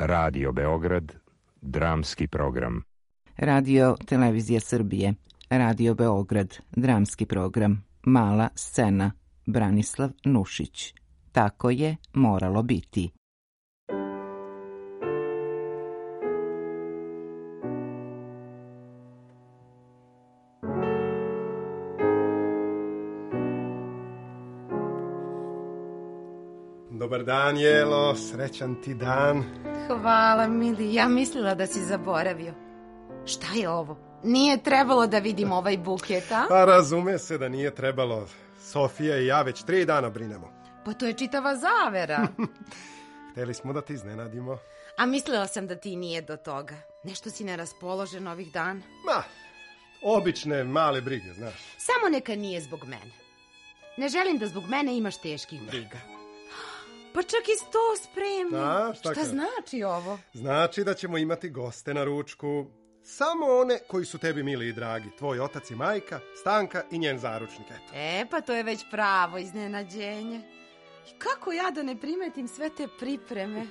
Radio Beograd, dramski program. Radio Televizija Srbije, Radio Beograd, dramski program, Mala scena, Branislav Nušić. Tako je moralo biti. Dobar dan, Jelo, srećan ti dan. Hvala, mili, ja mislila da si zaboravio. Šta je ovo? Nije trebalo da vidim ovaj buket, a? Pa razume se da nije trebalo. Sofija i ja već 3 dana brinemo. Pa to je čitava zavera. Hteli smo da te iznenadimo. A mislila sam da ti nije do toga. Nešto si neraspoložen ovih dana. Ma, obične male brige, znaš. Samo neka nije zbog mene. Ne želim da zbog mene imaš teških briga. Pa čak i sto spremno. A, šta znači ovo? Znači da ćemo imati goste na ručku. Samo one koji su tebi mili i dragi. Tvoj otac i majka, Stanka i njen zaručnik. Eto. Pa to je već pravo iznenađenje. I kako ja da ne primetim sve te pripreme?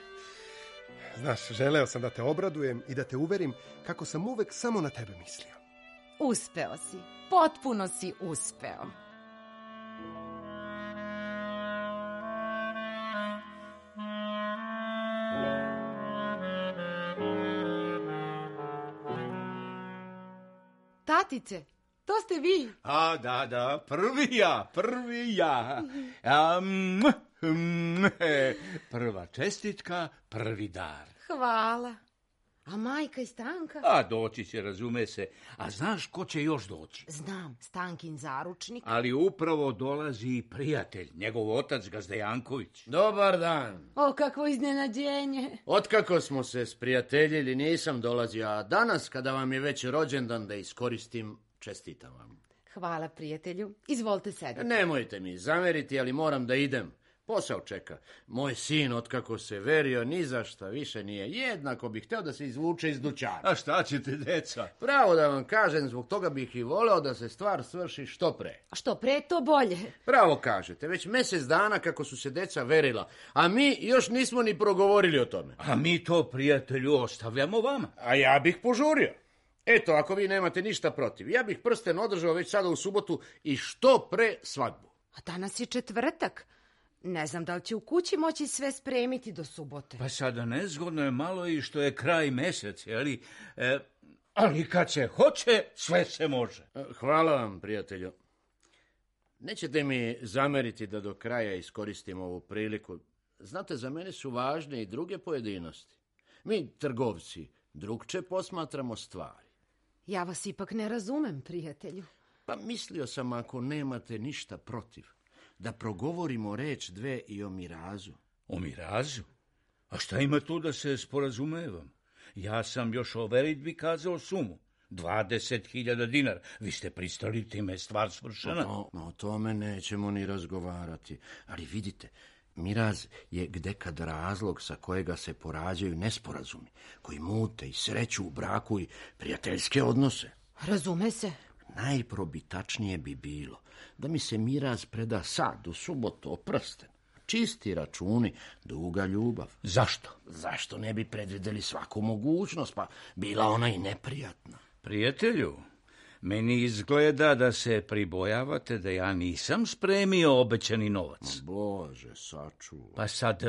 Znaš, želeo sam da te obradujem i da te uverim kako sam uvek samo na tebe mislio. Uspeo si. Potpuno si uspeo. Tatice, to ste vi. A, da, prvi ja. Prva čestitka, prvi dar. Hvala. A majka i Stanka? A doći će, razume se. A znaš ko će još doći? Znam, Stankin zaručnik. Ali upravo dolazi prijatelj, njegov otac Gazda Janković. Dobar dan. O, kakvo iznenađenje. Otkako smo se sprijateljili nisam dolazio, a danas kada vam je već rođendan da iskoristim, čestitam vam. Hvala, prijatelju. Izvolite sedeti. Nemojte mi zameriti, ali moram da idem. Posao čeka. Moj sin, otkako se verio, ni za šta više nije. Jednako bih hteo da se izvuče iz dućana. A šta ćete, deca? Pravo da vam kažem, zbog toga bih i voleo da se stvar svrši što pre. A što pre, to bolje. Pravo kažete, već mjesec dana kako su se deca verila, a mi još nismo ni progovorili o tome. A mi to, prijatelju, ostavljamo vama. A ja bih požurio. Eto, ako vi nemate ništa protiv, ja bih prsten održao već sada u subotu i što pre svadbu. A danas je četvrtak. Ne znam da li će u kući moći sve spremiti do subote. Pa sada nezgodno je malo i što je kraj mjesec, ali kad se hoće, sve se može. Hvala vam, prijatelju. Nećete mi zameriti da do kraja iskoristim ovu priliku. Znate, za mene su važne i druge pojedinosti. Mi, trgovci, drugče posmatramo stvari. Ja vas ipak ne razumem, prijatelju. Pa mislio sam, ako nemate ništa protiv, da progovorimo reč dve i o mirazu. O mirazu? A šta ima tu da se sporazumevam? Ja sam još o veritbi kazao sumu. 20.000 dinara. Vi ste pristali, time je stvar svršena. O tome nećemo ni razgovarati. Ali vidite, miraz je gdekad razlog sa kojega se porađaju nesporazumi, koji mute i sreću u braku i prijateljske odnose. Razume se. Najprobitačnije bi bilo da mi se miraz preda sad u subotu o prsten. Čisti računi, duga ljubav. Zašto? Zašto ne bi predvidjeli svaku mogućnost, pa bila ona i neprijatna. Prijatelju, meni izgleda da se pribojavate da ja nisam spremio obećani novac. Bože, sačuvaj. Pa sad,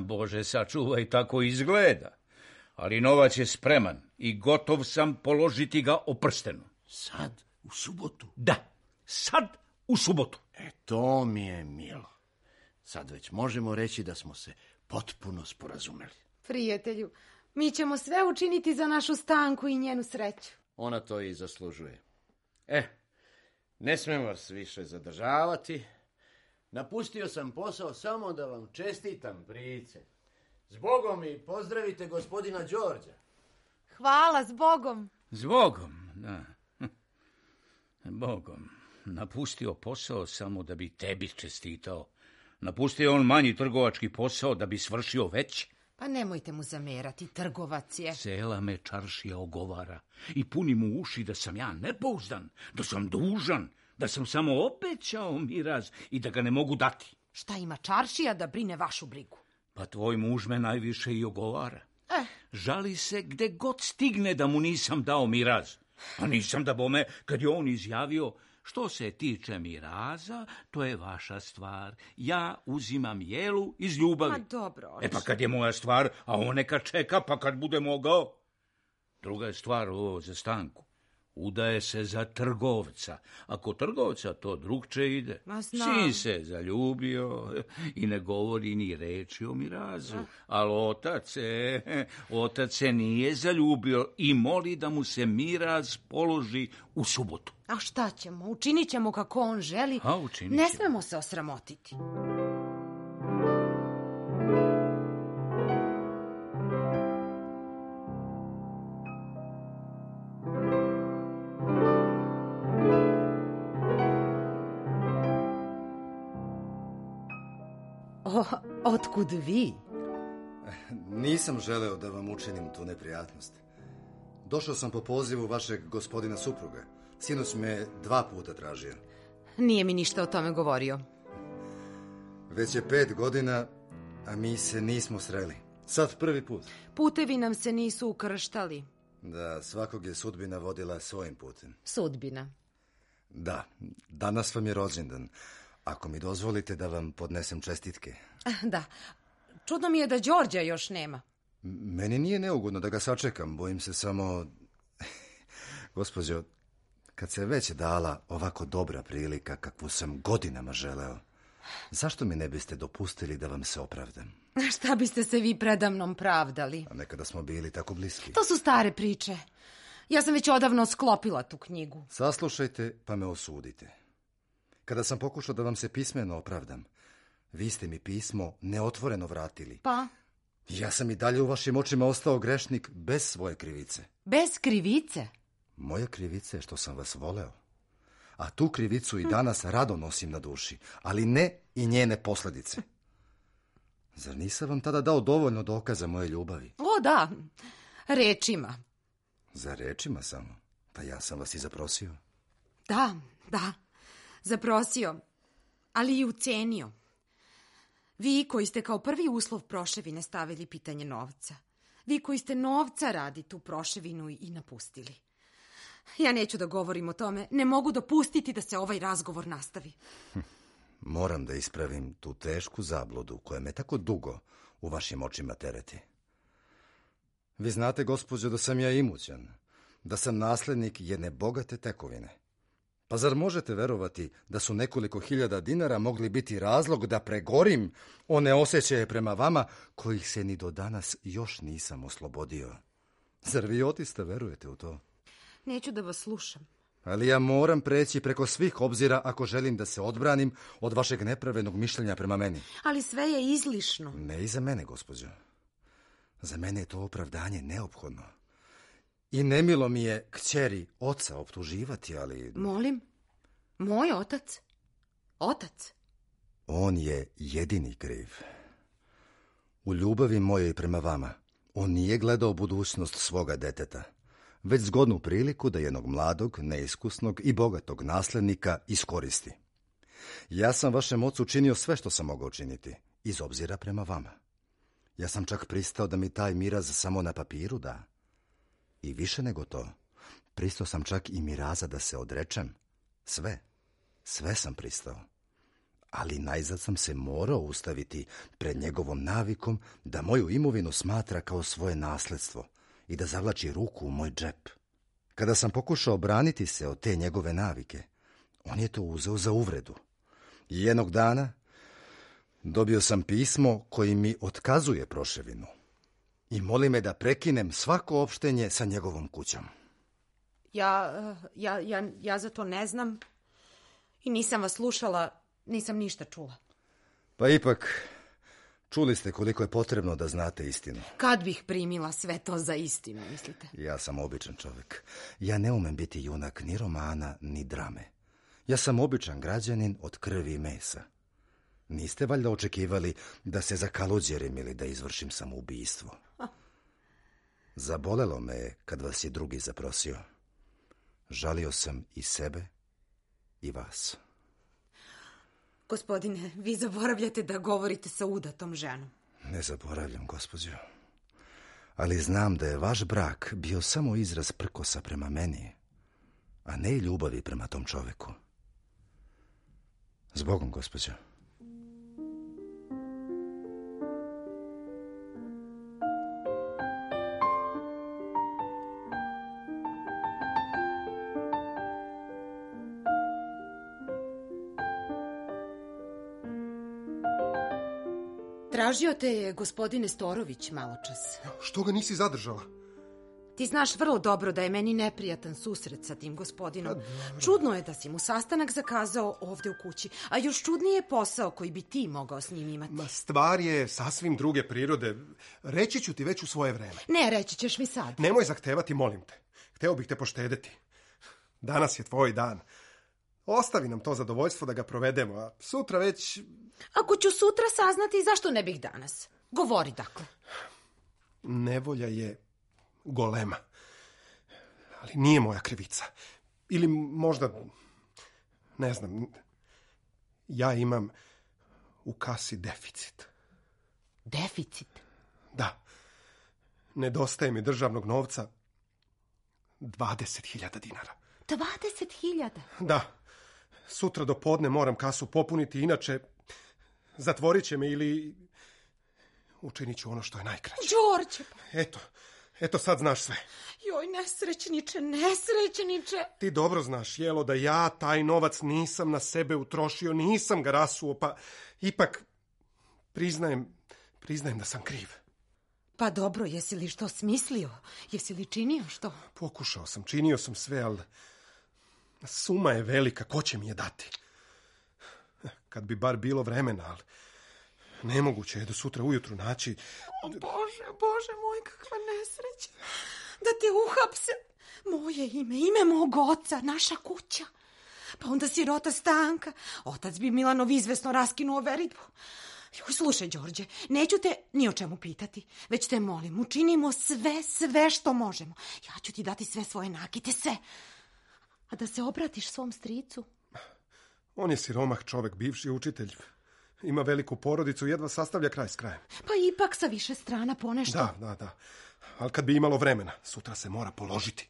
Bože, sačuvaj, tako izgleda. Ali novac je spreman i gotov sam položiti ga o prstenu. Sad, u subotu? Da, sad u subotu. To mi je milo. Sad već možemo reći da smo se potpuno sporazumeli. Prijatelju, mi ćemo sve učiniti za našu Stanku i njenu sreću. Ona to i zaslužuje. Ne smijem vas više zadržavati. Napustio sam posao samo da vam čestitam, prijice. Zbogom i pozdravite gospodina Đorđa. Hvala, zbogom. Zbogom, da. Bogom. Napustio posao samo da bi tebi čestitao. Napustio on manji trgovački posao da bi svršio veći. Pa nemojte mu zamerati, trgovac je. Cela me čaršija ogovara i puni mu uši da sam ja nepouzdan, da sam dužan, da sam samo obećao miraz i da ga ne mogu dati. Šta ima čaršija da brine vašu brigu? Pa tvoj muž me najviše i ogovara. Žali se gde god stigne da mu nisam dao miraz. A nisam da bome, kad je on izjavio, što se tiče miraza, to je vaša stvar. Ja uzimam jelu iz ljubavi. Ma dobro, oče. Pa kad je moja stvar, a on neka čeka, pa kad bude mogao. Druga je stvar ovo za Stanku. Udaje se za trgovca. Ako trgovca, to drugče ide. Ma znam. Sin se zaljubio i ne govori ni reči o mirazu. Ali otac se nije zaljubio i moli da mu se miraz položi u subotu. A šta ćemo? Učinit ćemo kako on želi. Ne smemo se osramotiti. Otkud vi? Nisam želeo da vam učinim tu neprijatnost. Došao sam po pozivu vašeg gospodina supruga. Sinoć me 2 puta tražio. Nije mi ništa o tome govorio. Već je 5 godina, a mi se nismo sreli. Sad prvi put. Putevi nam se nisu ukrštali. Da, svakog je sudbina vodila svojim putem. Sudbina. Da, danas vam je rođendan. Ako mi dozvolite da vam podnesem čestitke. Da, čudno mi je da Đorđa još nema. Meni nije neugodno da ga sačekam, bojim se samo... Gospođo, kad se već dala ovako dobra prilika kakvu sam godinama želeo, zašto mi ne biste dopustili da vam se opravdam? Šta biste se vi predamnom pravdali? A nekada smo bili tako bliski. To su stare priče. Ja sam već odavno sklopila tu knjigu. Saslušajte pa me osudite. Kada sam pokušao da vam se pismeno opravdam, vi ste mi pismo neotvoreno vratili. Pa? Ja sam i dalje u vašim očima ostao grešnik bez svoje krivice. Bez krivice? Moja krivica je što sam vas voleo. A tu krivicu i danas rado nosim na duši, ali ne i njene posljedice. Zar nisam vam tada dao dovoljno dokaza moje ljubavi? O, da, rečima. Za rečima samo? Pa ja sam vas i zaprosio. Da, zaprosio, ali i ucenio. Vi koji ste kao prvi uslov proševine stavili pitanje novca. Vi koji ste novca radi tu proševinu i napustili. Ja neću da govorim o tome, ne mogu dopustiti da se ovaj razgovor nastavi. Moram da ispravim tu tešku zabludu koja me tako dugo u vašim očima tereti. Vi znate, gospođo, da sam ja imućan, da sam naslednik jedne bogate tekovine. Pa zar možete verovati da su nekoliko hiljada dinara mogli biti razlog da pregorim one osjećaje prema vama kojih se ni do danas još nisam oslobodio? Zar vi otista verujete u to? Neću da vas slušam. Ali ja moram preći preko svih obzira ako želim da se odbranim od vašeg nepravednog mišljenja prema meni. Ali sve je izlišno. Ne i za mene, gospođo. Za mene je to opravdanje neophodno. I nemilo mi je kćeri oca optuživati, ali... Molim? Moj otac? Otac? On je jedini kriv. U ljubavi mojoj prema vama, on nije gledao budućnost svoga deteta, već zgodnu priliku da jednog mladog, neiskusnog i bogatog naslednika iskoristi. Ja sam vašem ocu činio sve što sam mogao činiti, iz obzira prema vama. Ja sam čak pristao da mi taj miraz samo na papiru da. I više nego to, pristao sam čak i miraza da se odrečem. Sve sam pristao. Ali najzad sam se morao ustaviti pred njegovom navikom da moju imovinu smatra kao svoje nasledstvo i da zavlači ruku u moj džep. Kada sam pokušao braniti se od te njegove navike, on je to uzeo za uvredu. I jednog dana dobio sam pismo koji mi otkazuje proševinu i moli me da prekinem svako opštenje sa njegovom kućom. Ja za to ne znam i nisam vas slušala, nisam ništa čula. Pa ipak, čuli ste koliko je potrebno da znate istinu. Kad bih primila sve to za istinu, mislite? Ja sam običan čovjek. Ja ne umem biti junak ni romana, ni drame. Ja sam običan građanin od krvi i mesa. Niste valjda očekivali da se zakaluđerim ili da izvršim samoubistvo? Zabolelo me je kad vas je drugi zaprosio. Žalio sam i sebe i vas. Gospodine, vi zaboravljate da govorite sa udatom ženom. Ne zaboravljam, gospođo. Ali znam da je vaš brak bio samo izraz prkosa prema meni, a ne i ljubavi prema tom čoveku. Zbogom, gospođo. Tražio te je gospodine Storović maločas. Što ga nisi zadržala? Ti znaš vrlo dobro da je meni neprijatan susret sa tim gospodinom. Čudno je da si mu sastanak zakazao ovde u kući, a još čudnije je posao koji bi ti mogao s njim imati. Ma, stvar je sasvim druge prirode. Reći ću ti već u svoje vreme. Ne, reći ćeš mi sad. Nemoj zahtevati, molim te. Hteo bih te poštedeti. Danas je tvoj dan. Ostavi nam to zadovoljstvo da ga provedemo, a sutra već... Ako ću sutra saznati, zašto ne bih danas? Govori, dakle. Nevolja je golema. Ali nije moja krivica. Ili možda... Ne znam. Ja imam u kasi deficit. Deficit? Da. Nedostaje mi državnog novca 20.000 dinara. 20.000? Da. Sutra do podne moram kasu popuniti, inače zatvorit će me ili učinit ću ono što je najkraće. Đorđe! Eto sad znaš sve. Joj, nesrećniče. Ti dobro znaš, Jelo, da ja taj novac nisam na sebe utrošio, nisam ga rasuo, pa ipak priznajem da sam kriv. Pa dobro, jesi li što smislio? Jesi li činio što? Pokušao sam, činio sam sve, ali suma je velika, ko će mi je dati? Kad bi bar bilo vremena, ali nemoguće je do sutra ujutru naći... O, Bože moj, kakva nesreća. Da te uhapse. Moje ime mog oca, naša kuća. Pa onda sirota Stanka. Otac bi Milanov izvesno raskinuo veritbu. Joj, slušaj, Đorđe, neću te ni o čemu pitati, već te molim, učinimo sve što možemo. Ja ću ti dati sve svoje nakite, sve. A da se obratiš svom stricu? On je siromah čovek, bivši učitelj. Ima veliku porodicu, jedva sastavlja kraj s krajem. Pa ipak sa više strana ponešto. Da. Ali kad bi imalo vremena, sutra se mora položiti.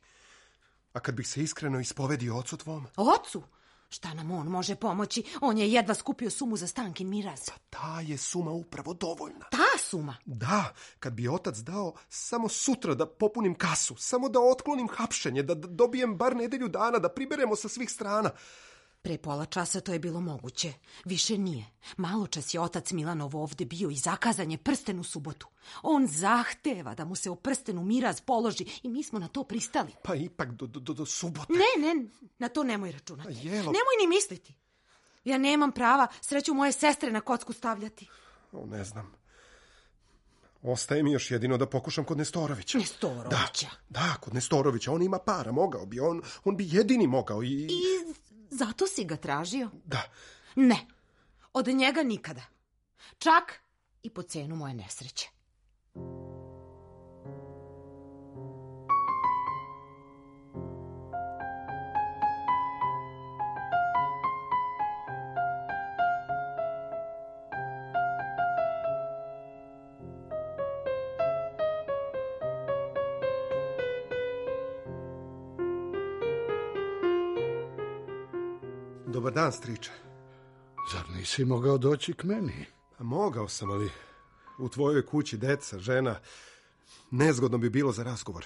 A kad bih se iskreno ispovedio ocu tvom? Ocu? Šta nam on može pomoći? On je jedva skupio sumu za Stankin miraz. Pa ta je suma upravo dovoljna. Ta suma? Da, kad bi otac dao samo sutra da popunim kasu, samo da otklonim hapšenje, da dobijem bar nedelju dana, da priberemo sa svih strana. Pre pola časa to je bilo moguće. Više nije. Maločas je otac Milanov ovde bio i zakazan je prsten u subotu. On zahteva da mu se o prstenu miraz položi i mi smo na to pristali. Pa ipak do subote. Ne, na to nemoj računati. Jelo... Nemoj ni misliti. Ja nemam prava sreću moje sestre na kocku stavljati. Ne znam. Ostaje mi još jedino da pokušam kod Nestorovića. Nestorovića? Da, kod Nestorovića. On ima para, mogao bi. On bi jedini mogao i... Zato si ga tražio? Da. Ne, od njega nikada. Čak i po cenu moje nesreće. Dobar dan, striče. Zar nisi mogao doći k meni? A mogao sam, ali u tvojoj kući deca, žena, nezgodno bi bilo za razgovor.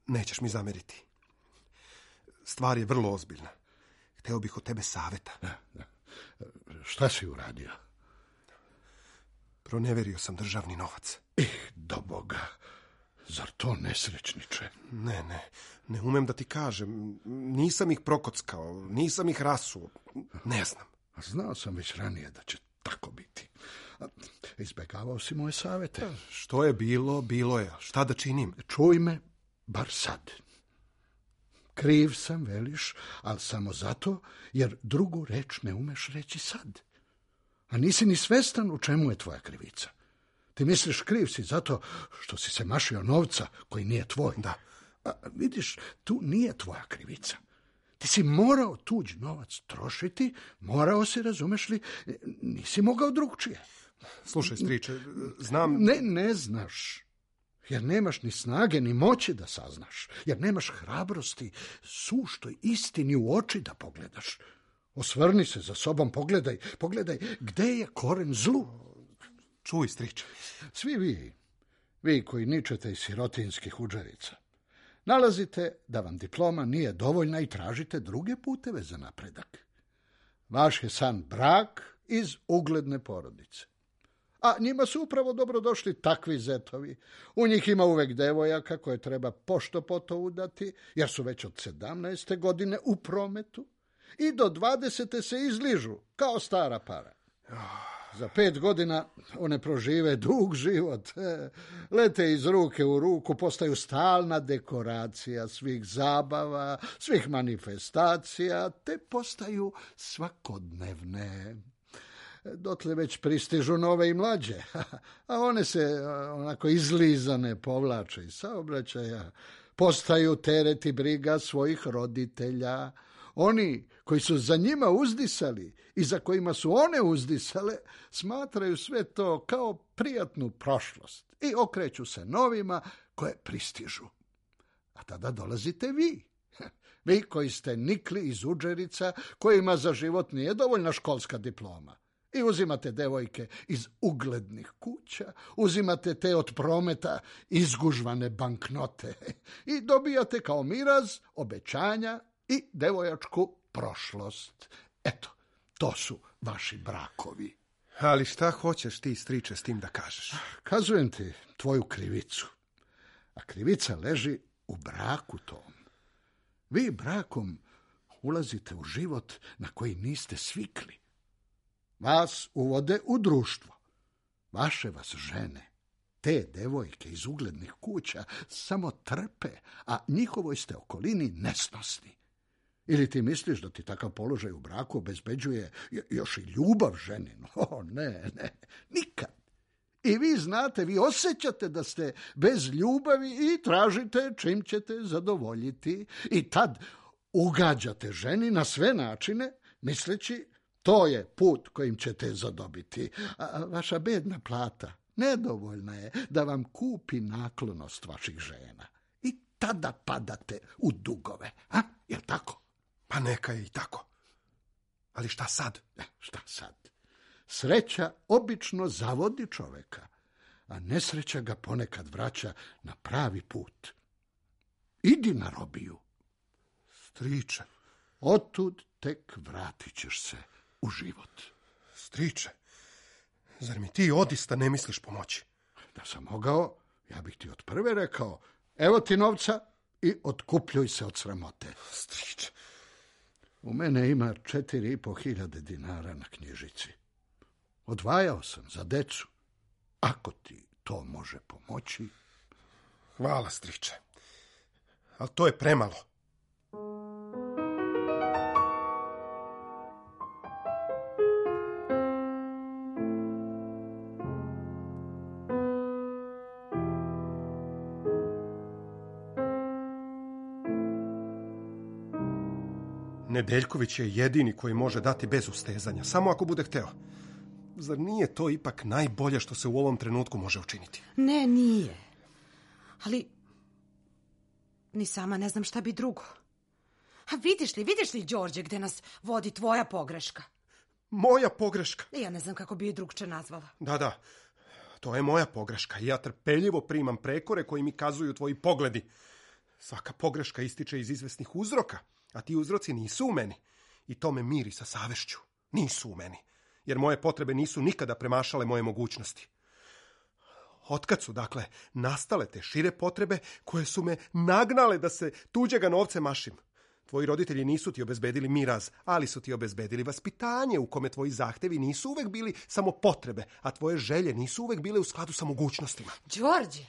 Nećeš mi zameriti. Stvar je vrlo ozbiljna. Hteo bih od tebe saveta. Da. Šta si uradio? Proneverio sam državni novac. Do Boga. Zar to nesrećniče? Ne umem da ti kažem. Nisam ih prokockao, nisam ih rasuo. Ne znam. Znao sam već ranije da će tako biti. Izbegavao si moje savete. Što je bilo je. Šta da činim? Čuj me, bar sad. Kriv sam, veliš, ali samo zato, jer drugu reč ne umeš reći sad. A nisi ni svestan u čemu je tvoja krivica. Ti misliš kriv si zato što si se mašio novca koji nije tvoj. Da. A vidiš, tu nije tvoja krivica. Ti si morao tuđ novac trošiti, morao si, razumeš li, nisi mogao drugčije. Slušaj, striče, znam... Ne znaš. jer nemaš ni snage ni moći da saznaš, jer nemaš hrabrosti suštoj istini u oči da pogledaš. Osvrni se za sobom, pogledaj gde je koren zlu. Čuj, striče. Svi vi koji ničete iz sirotinskih udžerica, nalazite da vam diploma nije dovoljna i tražite druge puteve za napredak. Vaš je san brak iz ugledne porodice. A njima su upravo dobrodošli takvi zetovi. U njih ima uvek devojaka koje treba pošto poto udati, jer su već od 17. godine u prometu i do 20. se izližu kao stara para. Za 5 godina one prožive dug život, lete iz ruke u ruku, postaju stalna dekoracija svih zabava, svih manifestacija, te postaju svakodnevne. Dotle već pristižu nove i mlađe, a one se onako izlizane povlače iz saobraćaja, postaju teret i briga svojih roditelja. Oni koji su za njima uzdisali i za kojima su one uzdisale, smatraju sve to kao prijatnu prošlost i okreću se novima koje pristižu. A tada dolazite vi. Vi koji ste nikli iz udžerica, kojima za život nije dovoljna školska diploma. I uzimate devojke iz uglednih kuća, uzimate te od prometa izgužvane banknote i dobijate kao miraz obećanja i devojačku prošlost. Eto, to su vaši brakovi. Ali šta hoćeš ti, striče, s tim da kažeš? Kazujem ti tvoju krivicu. A krivica leži u braku tom. Vi brakom ulazite u život na koji niste svikli. Vas uvode u društvo. Vaše vas žene, te devojke iz uglednih kuća, samo trpe, a njihovoj ste okolini nesnosni. Ili ti misliš da ti takav položaj u braku obezbeđuje još i ljubav ženinu? Ne, nikad. I vi znate, vi osjećate da ste bez ljubavi i tražite čim ćete zadovoljiti. I tad ugađate ženi na sve načine, misleći to je put kojim ćete zadobiti. A vaša bedna plata nedovoljna je da vam kupi naklonost vaših žena. I tada padate u dugove. Jel tako? Pa neka je i tako. Ali šta sad? Šta sad? Sreća obično zavodi čoveka, a nesreća ga ponekad vraća na pravi put. Idi na robiju. Striče. Otud tek vratit ćeš se u život. Striče, zar mi ti odista ne misliš pomoći? Da sam mogao, ja bih ti od prve rekao, evo ti novca i otkupljuj se od sramote. Striče. U mene ima 4.500 dinara na knjižici. Odvajao sam za decu. Ako ti to može pomoći. Hvala, striče. Ali to je premalo. Nedeljković je jedini koji može dati bez ustezanja, samo ako bude hteo. Zar nije to ipak najbolje što se u ovom trenutku može učiniti? Ne, nije. Ali ni sama ne znam šta bi drugo. A vidiš li, Đorđe, gde nas vodi tvoja pogreška? Moja pogreška? Ja ne znam kako bi je drugče nazvala. Da, to je moja pogreška i ja trpeljivo primam prekore koji mi kazuju tvoji pogledi. Svaka pogreška ističe iz izvesnih uzroka, a ti uzroci nisu u meni. I to me miri sa savešću. Nisu u meni, jer moje potrebe nisu nikada premašale moje mogućnosti. Otkad su, dakle, nastale te šire potrebe koje su me nagnale da se tuđega novce mašim? Tvoji roditelji nisu ti obezbedili miraz, ali su ti obezbedili vaspitanje u kome tvoji zahtevi nisu uvek bili samo potrebe, a tvoje želje nisu uvek bile u skladu sa mogućnostima. Đorđe,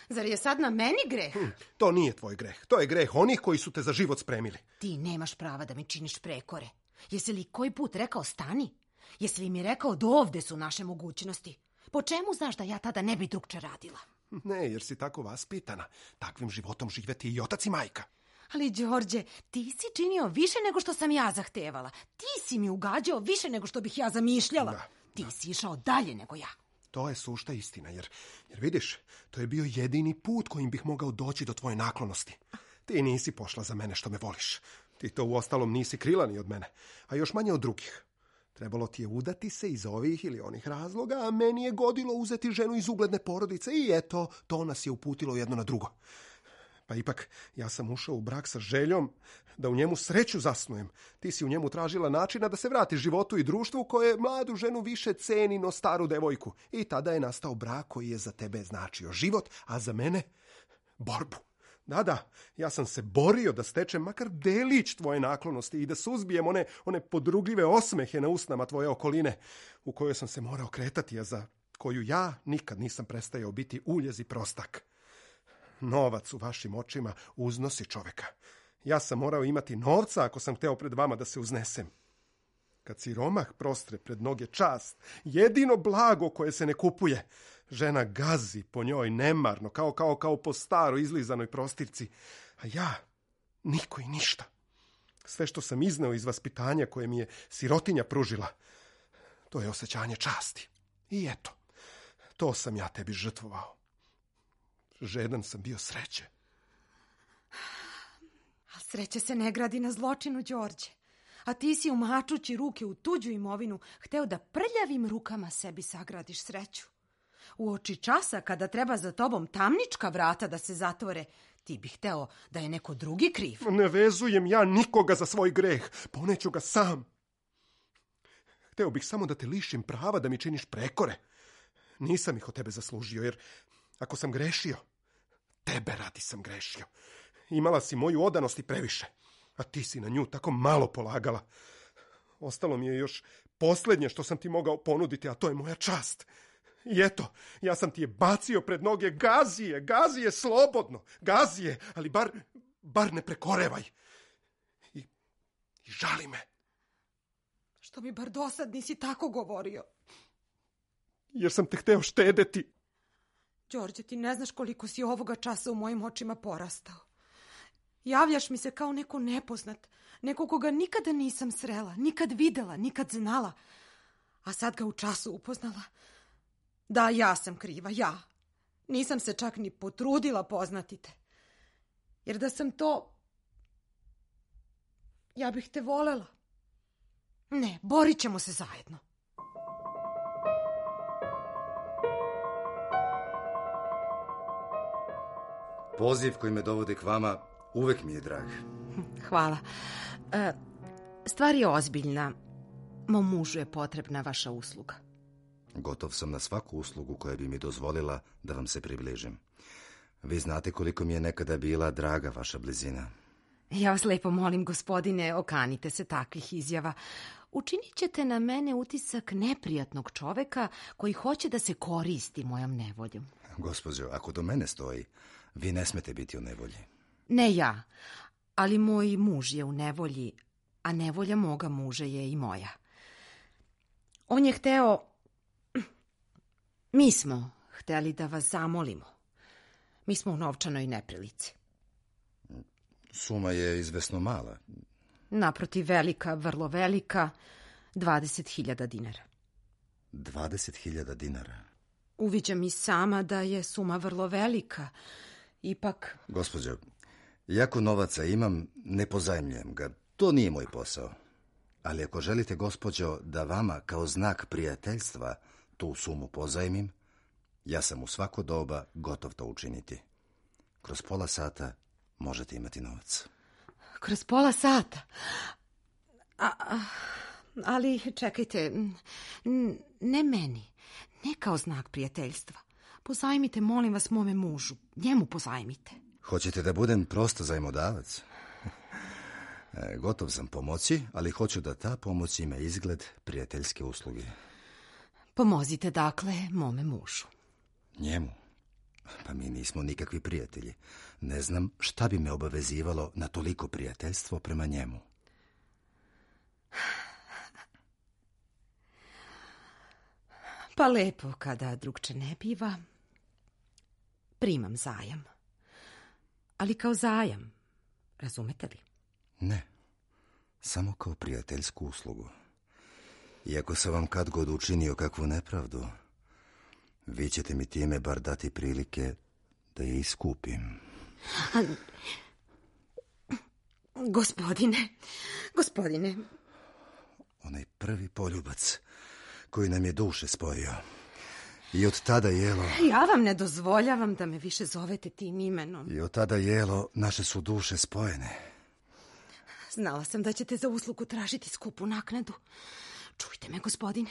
zar je sad na meni greh? To nije tvoj greh. To je greh onih koji su te za život spremili. Ti nemaš prava da mi činiš prekore. Jesi li koji put rekao stani? Jesi li mi rekao do ovde su naše mogućnosti? Po čemu znaš da ja tada ne bi drugče radila? Ne, jer si tako vaspitana. Takvim životom živeti i otac i majka. Ali, Đorđe, ti si činio više nego što sam ja zahtevala. Ti si mi ugađao više nego što bih ja zamišljala. Da. Ti si išao dalje nego ja. To je sušta istina, jer vidiš, to je bio jedini put kojim bih mogao doći do tvoje naklonosti. Ti nisi pošla za mene što me voliš. Ti to uostalom nisi krila ni od mene, a još manje od drugih. Trebalo ti je udati se iz ovih ili onih razloga, a meni je godilo uzeti ženu iz ugledne porodice i eto, to nas je uputilo jedno na drugo. Pa ipak, ja sam ušao u brak sa željom da u njemu sreću zasnujem. Ti si u njemu tražila načina da se vrati životu i društvu koje mladu ženu više ceni no staru devojku. I tada je nastao brak koji je za tebe značio život, a za mene borbu. Da, ja sam se borio da stečem makar delić tvoje naklonosti i da suzbijem one podrugljive osmehe na usnama tvoje okoline u kojoj sam se morao kretati, a za koju ja nikad nisam prestajao biti uljez i prostak. Novac u vašim očima uznosi čoveka. Ja sam morao imati novca ako sam hteo pred vama da se uznesem. Kad siromah prostre pred noge čast, jedino blago koje se ne kupuje, žena gazi po njoj nemarno, kao po staroj izlizanoj prostirci. A ja, niko i ništa. Sve što sam izneo iz vaspitanja koje mi je sirotinja pružila, to je osjećanje časti. I eto, to sam ja tebi žrtvovao. Žedan sam bio sreće. A sreća se ne gradi na zločinu, Đorđe. A ti si umačući ruke u tuđu imovinu hteo da prljavim rukama sebi sagradiš sreću. Uoči časa kada treba za tobom tamnička vrata da se zatvore, ti bih hteo da je neko drugi kriv. Ne vezujem ja nikoga za svoj greh, poneću ga sam. Hteo bih samo da te lišim prava da mi činiš prekore. Nisam ih od tebe zaslužio, jer ako sam grešio, tebe radi sam grešio. Imala si moju odanost i previše, a ti si na nju tako malo polagala. Ostalo mi je još posljednje što sam ti mogao ponuditi, a to je moja čast. I eto, ja sam ti je bacio pred noge, gazi je slobodno, gazi je, ali bar ne prekorevaj. I žali me. Što mi bar dosad nisi tako govorio? Jer sam te hteo štedeti. Đorđe, ti ne znaš koliko si ovoga časa u mojim očima porastao. Javljaš mi se kao neko nepoznat, neko koga nikada nisam srela, nikad videla, nikad znala, a sad ga u času upoznala. Da, ja sam kriva, ja. Nisam se čak ni potrudila poznati te. Jer da sam to, ja bih te volela. Ne, borit ćemo se zajedno. Poziv koji me dovodi k vama uvek mi je drag. Hvala. Stvar je ozbiljna. Mom mužu je potrebna vaša usluga. Gotov sam na svaku uslugu koja bi mi dozvolila da vam se približim. Vi znate koliko mi je nekada bila draga vaša blizina. Ja vas lepo molim, gospodine, okanite se takvih izjava. Učinit ćete na mene utisak neprijatnog čoveka koji hoće da se koristi mojom nevoljom. Gospođo, ako do mene stoji, vi ne smete biti u nevolji. Ne ja, ali moj muž je u nevolji, a nevolja moga muža je i moja. On je hteo... Mi smo hteli da vas zamolimo. Mi smo u novčanoj neprilici. Suma je izvesno mala. Naprotiv, velika, vrlo velika, 20.000 dinara. 20.000 dinara? Uviđam i sama da je suma vrlo velika. Ipak... Gospođo, jako novaca imam, ne pozajmljujem ga. To nije moj posao. Ali ako želite, gospođo, da vama kao znak prijateljstva tu sumu pozajmim, ja sam u svako doba gotov to učiniti. Kroz pola sata možete imati novac. Kroz pola sata? Ali čekajte, ne meni, ne kao znak prijateljstva. Pozajmite, molim vas, mome mužu. Njemu pozajmite. Hoćete da budem prosto zajmodavac? Gotov sam pomoći, ali hoću da ta pomoć ima izgled prijateljske usluge. Pomozite, dakle, mome mužu. Njemu? Pa mi nismo nikakvi prijatelji. Ne znam šta bi me obavezivalo na toliko prijateljstvo prema njemu. Pa lepo, kada drugče ne biva, primam zajam. Ali kao zajam, razumete li? Ne, samo kao prijateljsku uslugu. Iako sam vam kad god učinio kakvu nepravdu, Vi ćete mi time bar dati prilike da je iskupim. Gospodine. Onaj prvi poljubac koji nam je duše spojio. I od tada, Jelo... Ja vam ne dozvoljavam da me više zovete tim imenom. I od tada, Jelo, naše su duše spojene. Znala sam da ćete za uslugu tražiti skupu naknadu. Čujte me, gospodine.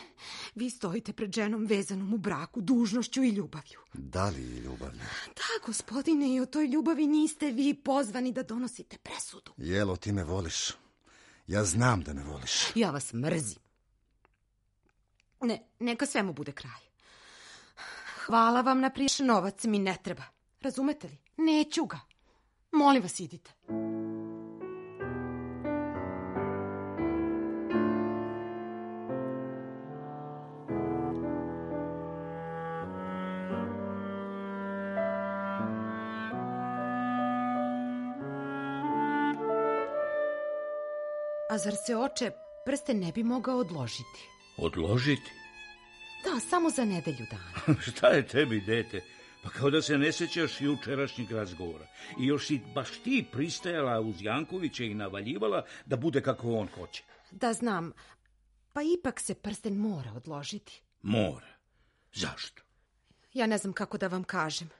Vi stojite pred ženom vezanom u braku, dužnošću i ljubavlju. Da li i ljubavlju? Da, gospodine, i o toj ljubavi niste vi pozvani da donosite presudu. Jelo, ti me voliš. Ja znam da me voliš. Ja vas mrzim. Neka svemu bude kraj. Hvala vam na prijašnji novac, mi ne treba. Razumete li? Neću ga. Molim vas, idite. A zar se, oče, prsten ne bi mogao odložiti? Odložiti? Da, samo za nedelju dana. Šta je tebi, dete? Pa kao da se ne sećaš jučerašnjeg razgovora. I još si baš ti pristajala uz Jankovića i navaljivala da bude kako on hoće. Da, znam. Pa ipak se prsten mora odložiti. Mora? Zašto? Ja ne znam kako da vam kažem.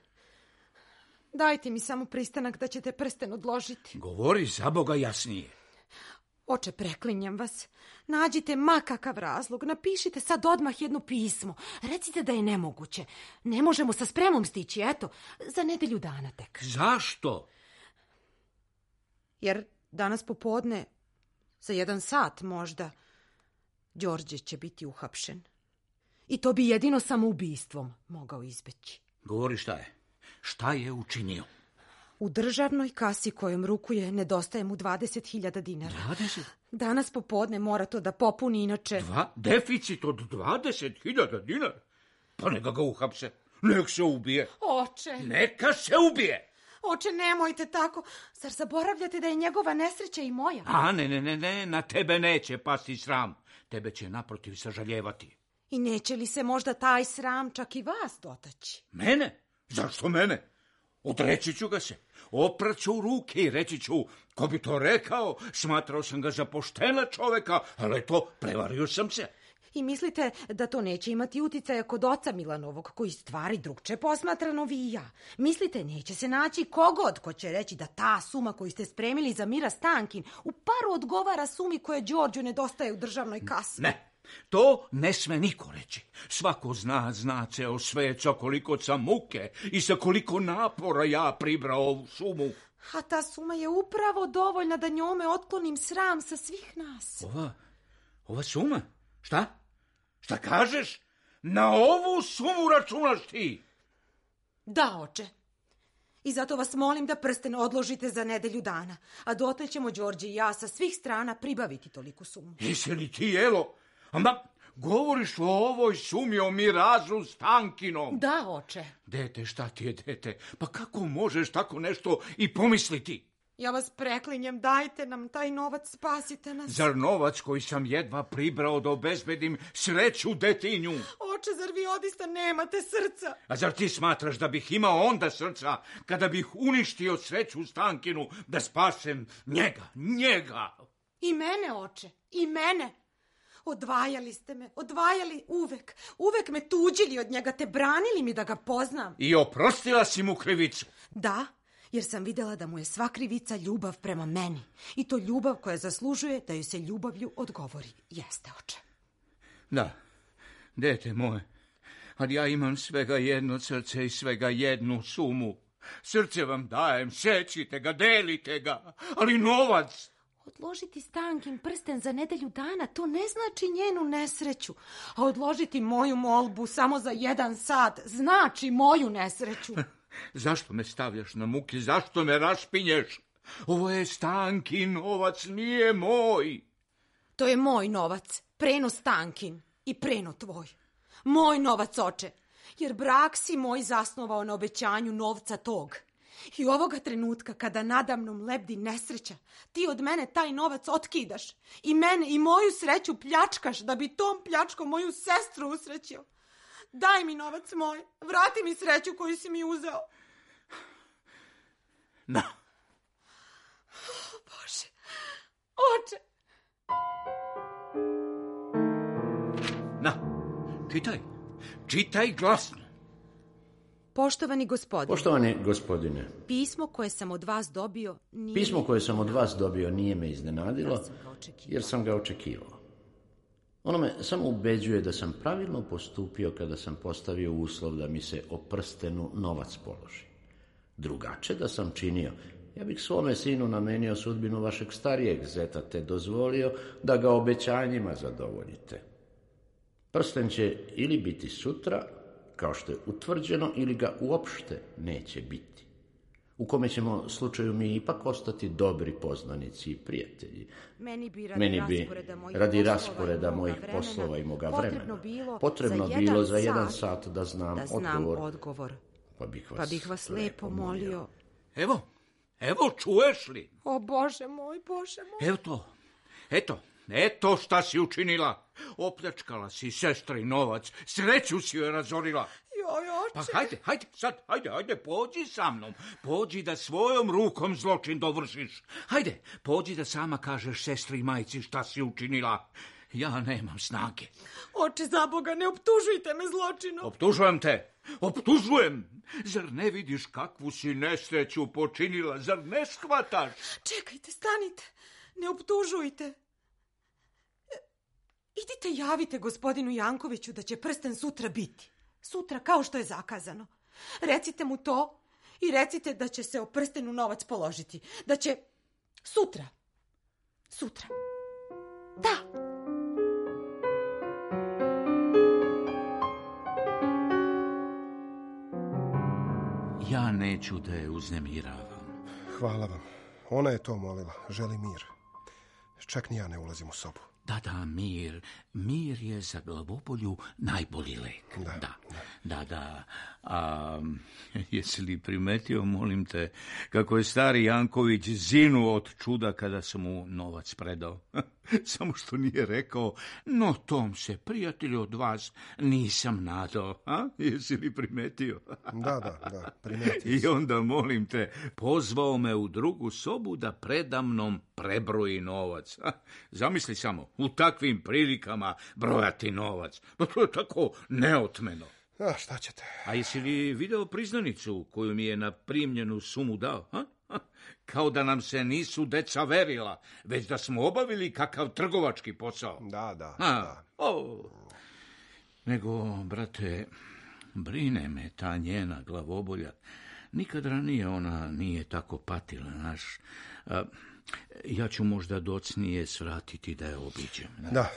Dajte mi samo pristanak da ćete prsten odložiti. Govori za Boga jasnije. Oče, preklinjam vas. Nađite ma kakav razlog. Napišite sad odmah jedno pismo. Recite da je nemoguće. Ne možemo sa spremom stići, eto, za nedelju dana tek. Zašto? Jer danas popodne, za 1 sat možda, Đorđe će biti uhapšen. I to bi jedino samoubistvom mogao izbeći. Govori šta je. Šta je učinio? U državnoj kasi kojom rukuje nedostaje mu 20.000 dinara. 20? Danas popodne mora to da popuni, inače... Deficit od 20.000 dinara? Pa neka ga uhapse. Nek se ubije. Oče! Neka se ubije! Oče, nemojte tako. Zar zaboravljate da je njegova nesreća i moja? A, ne, na tebe neće pasti sram. Tebe će naprotiv sažaljevati. I neće li se možda taj sram čak i vas dotaći? Mene? Zašto mene? Odreći ću ga se. Opraću u ruke i reći ću, ko bi to rekao, smatrao sam ga za poštena čoveka, ali to, prevario sam se. I mislite da to neće imati uticaja kod oca Milanovog, koji stvari drugče posmatrano vi i ja? Mislite, neće se naći kogod ko će reći da ta suma koju ste spremili za Mira Stankin u paru odgovara sumi koje Đorđu nedostaje u državnoj kasi? Ne. To ne sme niko reći. Svako zna ceo svet sa koliko sam muke i sa koliko napora ja pribrao ovu sumu. A ta suma je upravo dovoljna da njome otklonim sram sa svih nas. Ova suma? Šta? Šta kažeš? Na ovu sumu računaš ti? Da, oče. I zato vas molim da prsten odložite za nedelju dana, a dotle ćemo Đorđe i ja sa svih strana pribaviti toliku sumu. Jesi li ti, Jelo? Ama govoriš o ovoj sumi, o Mirazu Stankinom. Da, oče. Dete, šta ti je, dete? Pa kako možeš tako nešto i pomisliti? Ja vas preklinjem, dajte nam taj novac, spasite nas. Zar novac koji sam jedva pribrao da obezbedim sreću detinju? Oče, zar vi odista nemate srca? A zar ti smatraš da bih imao onda srca kada bih uništio sreću Stankinu da spasem njega? I mene, oče, i mene. Odvajali ste me, odvajali uvek me tuđili od njega, te branili mi da ga poznam. I oprostila si mu krivicu? Da, jer sam vidjela da mu je sva krivica ljubav prema meni. I to ljubav koja zaslužuje da joj se ljubavlju odgovori. Jeste, oče. Da, dete moje, ali ja imam svega jedno srce i svega jednu sumu. Srce vam dajem, sećite ga, delite ga, ali novac... Odložiti Stankin prsten za nedelju dana, to ne znači njenu nesreću. A odložiti moju molbu samo za 1 sat znači moju nesreću. Zašto me stavljaš na muke? Zašto me rašpinješ? Ovo je Stankin novac, nije moj. To je moj novac, preno Stankin i preno tvoj. Moj novac, oče, jer brak si moj zasnovao na obećanju novca tog. I ovoga trenutka kada nadamnom lebdi nesreća, ti od mene taj novac otkidaš i mene i moju sreću pljačkaš da bi tom pljačkom moju sestru usrećio. Daj mi novac moj. Vrati mi sreću koju si mi uzeo. Na. Bože. Oče. Na. Čitaj glasno. Poštovani gospodine. Poštovani gospodine. Pismo koje sam od vas dobio nije me iznenadilo, jer sam ga očekivao. Ono me samo ubeđuje da sam pravilno postupio kada sam postavio uslov da mi se o prstenu novac položi. Drugače da sam činio, ja bih svome sinu namenio sudbinu vašeg starijeg zeta, te dozvolio da ga obećanjima zadovoljite. Prsten će ili biti sutra, kao što je utvrđeno, ili ga uopšte neće biti. U kome ćemo slučaju mi ipak ostati dobri poznanici i prijatelji. Meni bi radi rasporeda mojih poslova i moga vremena potrebno bilo za 1 sat da znam odgovor. Pa bih vas lepo molio. Evo, čuješ li? O Bože moj. Eto šta si učinila. Opljačkala si sestri novac, sreću si joj razorila. Joj, oče. Pa hajde, pođi sa mnom. Pođi da svojom rukom zločin dovršiš. Hajde, pođi da sama kažeš sestri i majci šta si učinila. Ja nemam snage. Oče, za Boga, ne optužujte me zločinom. Optužujem. Zar ne vidiš kakvu si nesreću počinila? Zar ne shvataš? Čekajte, stanite. Ne optužujte. Idite javite gospodinu Jankoviću da će prsten sutra biti. Sutra, kao što je zakazano. Recite mu to i recite da će se o prstenu novac položiti. Da će sutra. Da. Ja neću da je uznemiravam. Hvala vam. Ona je to molila. Želi mir. Čak ni ja ne ulazim u sobu. Da, mir. Mir je za glavobolju najbolji lek. Da. A jesi li primetio, molim te, kako je stari Janković zinuo od čuda kada sam mu novac predao? Samo što nije rekao, no tom se, prijatelju, od vas nisam nadao. Jesi li primetio? Da, primetio I onda, molim te, pozvao me u drugu sobu da predamnom prebroji novac. Zamisli samo, u takvim prilikama brojati novac. To je tako neotmeno. Šta ćete? A jesi li video priznanicu koju mi je na primljenu sumu dao? Kao da nam se nisu deca verila, već da smo obavili kakav trgovački posao. Da. Nego, brate, brine me ta njena glavobolja. Nikad ranije ona nije tako patila, znaš. Ja ću možda docnije svratiti da je obiđem. Da,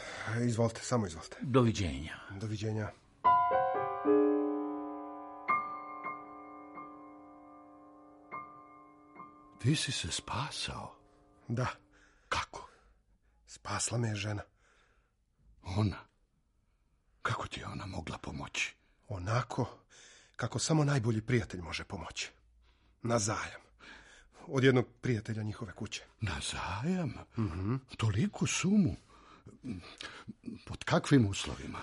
izvolite, samo izvolite. Doviđenja. Ti si se spasao? Da. Kako? Spasla me je žena. Ona? Kako ti je ona mogla pomoći? Onako kako samo najbolji prijatelj može pomoći. Na zajam. Od jednog prijatelja njihove kuće. Na zajam? Toliku sumu? Pod kakvim uslovima?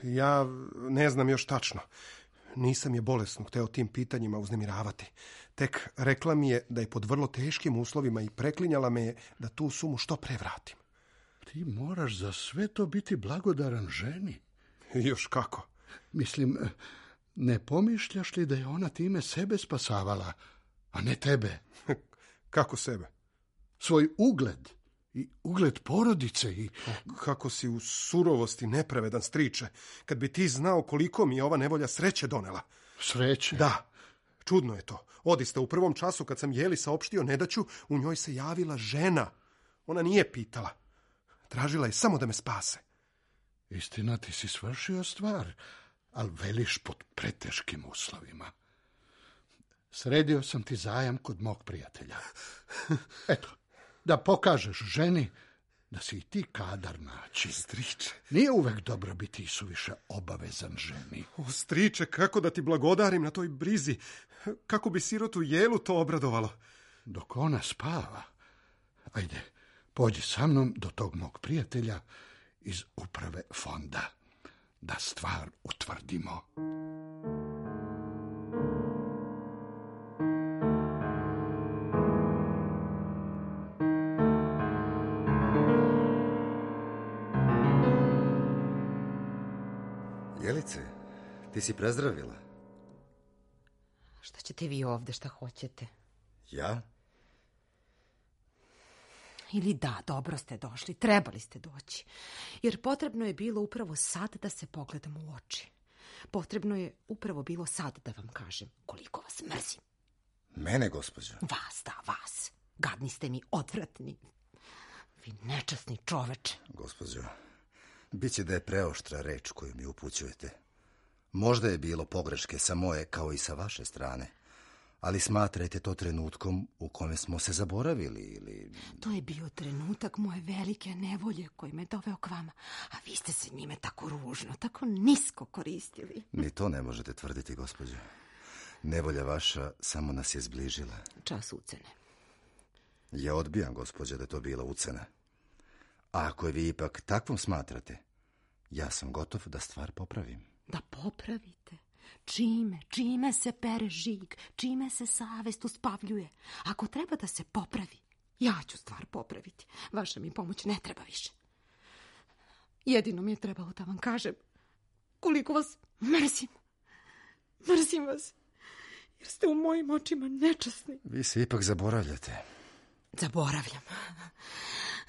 Ja ne znam još tačno. Nisam je bolesno hteo tim pitanjima uznemiravati. Tek rekla mi je da je pod vrlo teškim uslovima i preklinjala me je da tu sumu što pre vratim. Ti moraš za sve to biti blagodaran ženi. Još kako? Mislim, ne pomišljaš li da je ona time sebe spasavala, a ne tebe? Kako sebe? Svoj ugled i ugled porodice i... Kako si u surovosti nepravedan, striče, kad bi ti znao koliko mi je ova nevolja sreće donela. Sreće? Da, čudno je to. Odista, u prvom času kad sam Jeli saopštio nedaću, u njoj se javila žena. Ona nije pitala. Tražila je samo da me spase. Istina, ti si svršio stvar, ali veliš pod preteškim uslovima. Sredio sam ti zajam kod mog prijatelja. Eto, da pokažeš ženi da si i ti kadar naći. Striče. Nije uvek dobro biti i suviše obavezan ženi. O, striče, kako da ti blagodarim na toj brizi. Kako bi sirotu Jelu to obradovalo. Dok ona spava, ajde, pođi sa mnom do tog mog prijatelja iz uprave fonda. da stvar utvrdimo. Jelice, ti si prezdravila? Šta ćete vi ovde, šta hoćete? Ja? Ili da, dobro ste došli, trebali ste doći. Jer potrebno je bilo upravo sad da se pogledamo u oči. Potrebno je upravo bilo sad da vam kažem koliko vas mrzim. Mene, gospođo? Vas, da, vas. Gadni ste mi, odvratni. Vi nečasni čoveče. Gospođo, bit će da je preoštra reč koju mi upućujete. Možda je bilo pogreške sa moje kao i sa vaše strane, ali smatrajte to trenutkom u kome smo se zaboravili ili... To je bio trenutak moje velike nevolje koji me doveo k vama, a vi ste se njime tako ružno, tako nisko koristili. Ni to ne možete tvrditi, gospođo. Nevolja vaša samo nas je zbližila. Čas ucene. Ja odbijam, gospođo, da je to bila ucena. A ako je vi ipak takvom smatrate, ja sam gotov da stvar popravim. Da popravite? Čime? Čime se pere žig? Čime se savest uspavljuje? Ako treba da se popravi, ja ću stvar popraviti. Vaša mi pomoć ne treba više. Jedino mi je trebalo da vam kažem koliko vas mrzim. Mrzim vas, jer ste u mojim očima nečasni. Vi se ipak zaboravljate. Zaboravljam.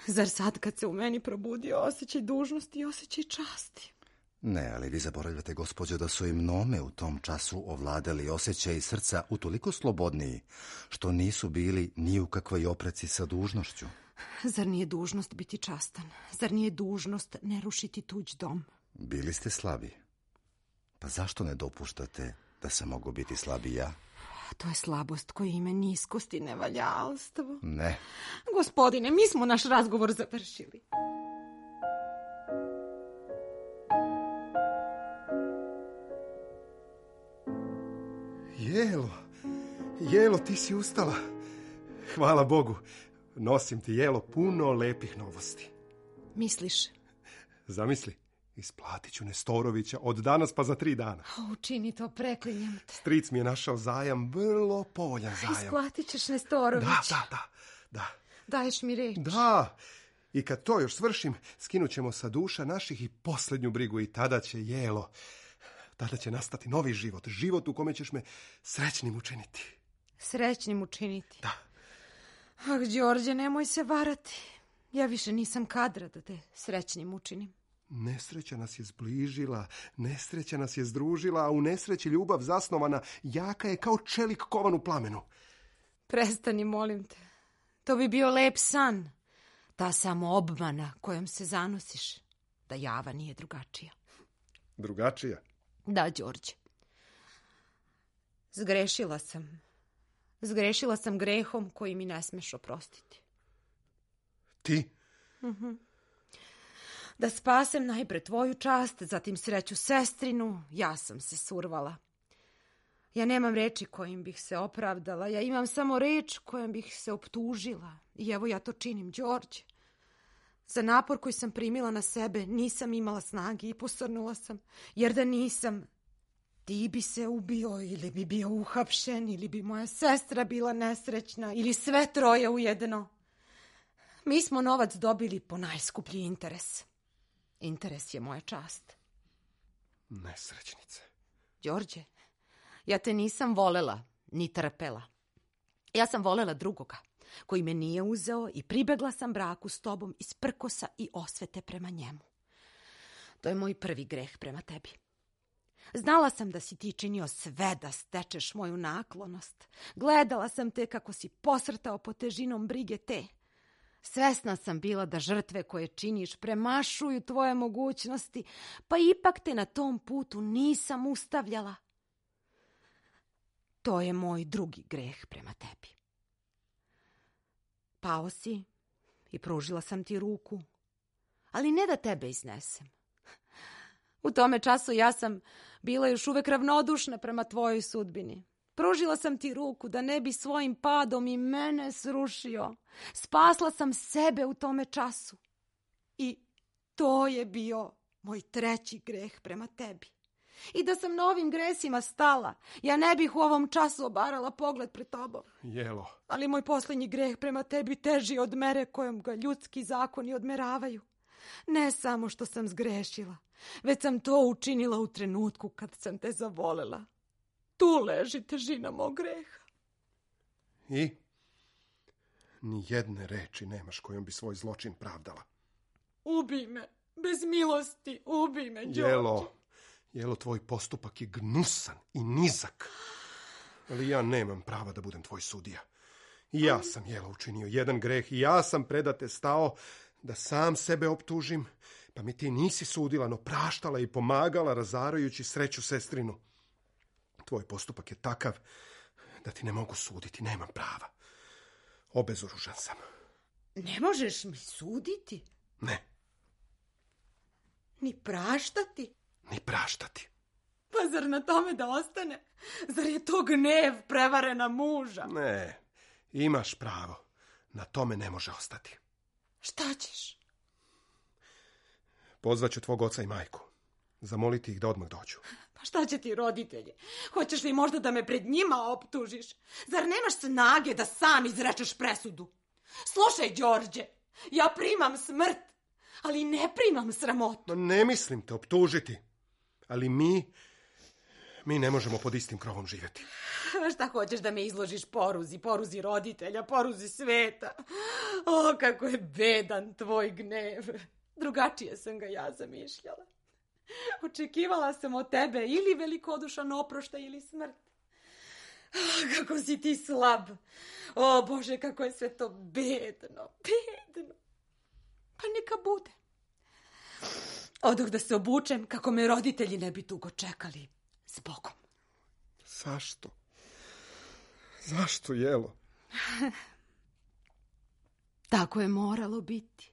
Zar sad kad se u meni probudio osjećaj dužnosti i osjećaj časti? Ne, ali vi zaboravljate, gospođo, da su i mnome u tom času ovladali osjećaj srca utoliko slobodniji, što nisu bili ni u kakvoj opreci sa dužnošću. Zar nije dužnost biti častan? Zar nije dužnost ne rušiti tuđ dom? Bili ste slabi. Pa zašto ne dopuštate da sam mogu biti slabi ja? To je slabost koja ima niskost i nevaljalstvo. Ne. Gospodine, mi smo naš razgovor završili. Jelo, ti si ustala. Hvala Bogu. Nosim ti, Jelo, puno lepih novosti. Misliš? Zamisli, isplatit ću Nestorovića od danas pa za 3 dana. Učini to, preklinjem te. Stric mi je našao zajam, vrlo povoljan zajam. Isplatit ćeš Nestorović. Da. Daješ mi reč. Da. I kad to još svršim, skinut ćemo sa duša naših i posljednju brigu i tada će, Jelo, tada će nastati novi život. Život u kome ćeš me srećnim učiniti. Srećnim učiniti? Da. Ah, Đorđe, nemoj se varati. Ja više nisam kadra da te srećnim učinim. Nesreća nas je zbližila, nesreća nas je združila, a u nesreći ljubav zasnovana jaka je kao čelik kovan u plamenu. Prestani, molim te. To bi bio lep san. Ta samo obmana kojom se zanosiš. Da Java nije drugačija. Drugačija? Da, Đorđe. Zgrešila sam. Zgrešila sam grehom koji mi ne smeš oprostiti. Ti? Da spasem najpre tvoju čast, zatim sreću sestrinu, ja sam se survala. Ja nemam reči kojim bih se opravdala, ja imam samo reč kojom bih se optužila. I evo ja to činim, Đorđe. Za napor koji sam primila na sebe nisam imala snage i posrnula sam, jer da nisam, ti bi se ubio ili bi bio uhapšen, ili bi moja sestra bila nesrećna, ili sve troje ujedno. Mi smo novac dobili po najskuplji interes. Interes je moja čast. Nesrećnice. Đorđe, ja te nisam volela, ni trpela. Ja sam volela drugoga, koji me nije uzeo i pribegla sam braku s tobom iz prkosa i osvete prema njemu. To je moj prvi greh prema tebi. Znala sam da si ti činio sve da stečeš moju naklonost. Gledala sam te kako si posrtao pod težinom brige te. Svesna sam bila da žrtve koje činiš premašuju tvoje mogućnosti, pa ipak te na tom putu nisam ustavljala. To je moj drugi greh prema tebi. Pao si i pružila sam ti ruku, ali ne da tebe iznesem. U tome času ja sam bila još uvek ravnodušna prema tvojoj sudbini. Pružila sam ti ruku da ne bi svojim padom i mene srušio. Spasla sam sebe u tome času. I to je bio moj treći greh prema tebi. I da sam na ovim gresima stala, ja ne bih u ovom času obarala pogled pred tobom. Jelo. Ali moj posljednji greh prema tebi teži od mere kojom ga ljudski zakoni odmeravaju. Ne samo što sam zgrešila, već sam to učinila u trenutku kad sam te zavolela. Tu leži težina mog greha. I? Ni jedne reči nemaš kojom bi svoj zločin pravdala. Ubij me, bez milosti, ubij me, Đorđe. Jelo, tvoj postupak je gnusan i nizak. Ali ja nemam prava da budem tvoj sudija. I ja sam, Jelo, učinio jedan greh i ja sam predate stao da sam sebe optužim, pa mi ti nisi sudila, no praštala i pomagala razarajući sreću sestrinu. Tvoj postupak je takav da ti ne mogu suditi, nemam prava. Obezoružan sam. Ne možeš mi suditi? Ne. Ni praštati? Ni praštati. Pa zar na tome da ostane? Zar je to gnev prevarena muža? Ne, imaš pravo. Na tome ne može ostati. Šta ćeš? Pozvaću tvog oca i majku. Zamoliti ih da odmah dođu. Pa šta će ti roditelji? Hoćeš li možda da me pred njima optužiš? Zar nemaš snage da sam izrečeš presudu? Slušaj, Đorđe, ja primam smrt, ali ne primam sramotu. No, ne mislim te optužiti, ali mi ne možemo pod istim krovom živjeti. Šta hoćeš da me izložiš poruzi roditelja, poruzi sveta? O, kako je bedan tvoj gnev. Drugačije sam ga ja zamišljala. Očekivala sam od tebe ili velikodušan oproštaj ili smrt. Kako si ti slab. O Bože, kako je sve to bedno. Pa neka bude. Odoh da se obučem kako me roditelji ne bi dugo čekali. S Bogom. Zašto, Jelo? Tako je moralo biti.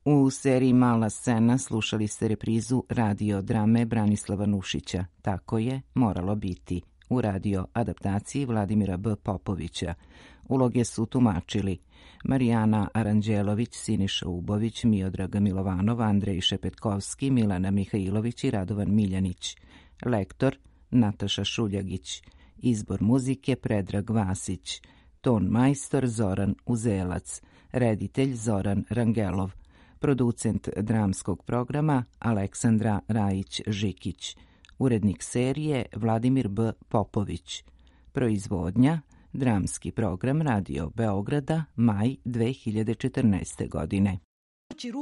U seriji Mala scena slušali ste reprizu radio drame Branislava Nušića. Tako je moralo biti. U radio adaptaciji Vladimira B. Popovića. Uloge su tumačili Marijana Aranđelović, Siniša Ubović, Miodraga Milovanov, Andrej Šepetkovski, Milana Mihajlović i Radovan Miljanić. Lektor Nataša Šuljagić. Izbor muzike Predrag Vasić. Ton majstor Zoran Uzelac. Reditelj Zoran Rangelov. Producent dramskog programa Aleksandra Rajić-Žikić. Urednik serije Vladimir B. Popović. Proizvodnja Dramski program Radio Beograda, maj 2014. godine.